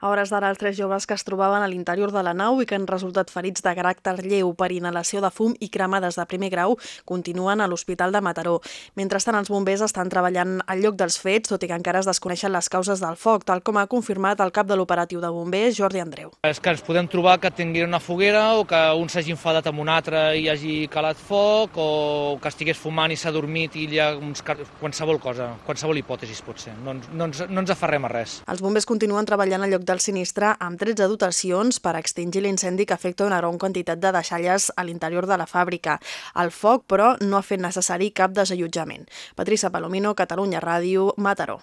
A hores d'ara, els 3 joves que es trobaven a l'interior de la nau i que han resultat ferits de caràcter lleu per inhalació de fum i cremades de primer grau continuen a l'Hospital de Mataró. Mentrestant, els bombers estan treballant al lloc dels fets, tot i que encara es desconeixen les causes del foc, tal com ha confirmat el cap de l'operatiu de bombers, Jordi Andreu. És que ens podem trobar que tinguin una foguera o que un s'hagi enfadat amb un altre i hagi calat foc, o que estigués fumant i s'ha dormit i hi ha qualsevol cosa, qualsevol hipòtesi pot ser. No ens aferrem a res. Els bombers continuen treballant al lloc del sinistre amb 13 dotacions per extingir l'incendi que afecta una gran quantitat de deixalles a l'interior de la fàbrica. El foc, però, no ha fet necessari cap desallotjament. Patricia Palomino, Catalunya Ràdio, Mataró.